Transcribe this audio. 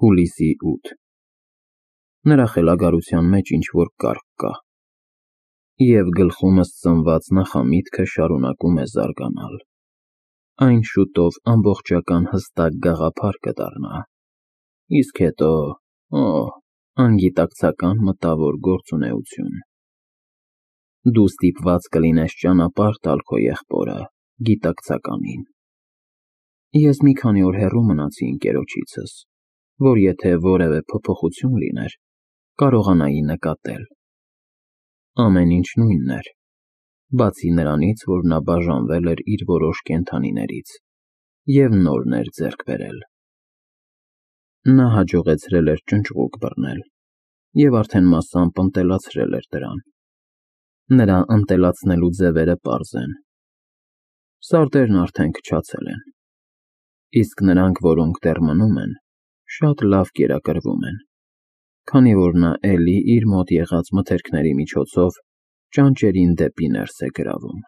Հուլիսի 8 Նրա խելագարության մեջ ինչ-որ կարգ կա, և գլխումս ծնված նախամիտքը շարունակում է զարգանալ. այն շուտով ամբողջական հստակ գաղափար կդառնա, իսկ հետո, անգիտակցական մտավոր գործունեություն։ Դու ստիպված կլինես ճանապարհ տալ քո եղբորը գիտակցականին։ Ես մի քանի օր հեռու մնացի ընկերոջիցս, որ եթե որևէ փոփոխություն լիներ, կարողանայի նկատել։ Ամեն ինչ նույնն էր, բացի նրանից, որ նա բաժանվել էր իր որոշ կենդանիներից և նորներ ձեռք բերել։ Նա հաջողեցրել էր ճնճղուկ բռնել և արդեն մասամբ ընտելացրել էր դրան։ Նրա ընտելացնելու ձևերը պարզ են. սարդերն արդեն քչացել են, իսկ նրանք, որոնք դեռ մնում են, շատ լավ կերակրվում են, քանի որ նա էլի իր մոտ եղած մթերքների միջոցով ճանճերին դեպի ներս է գրավում։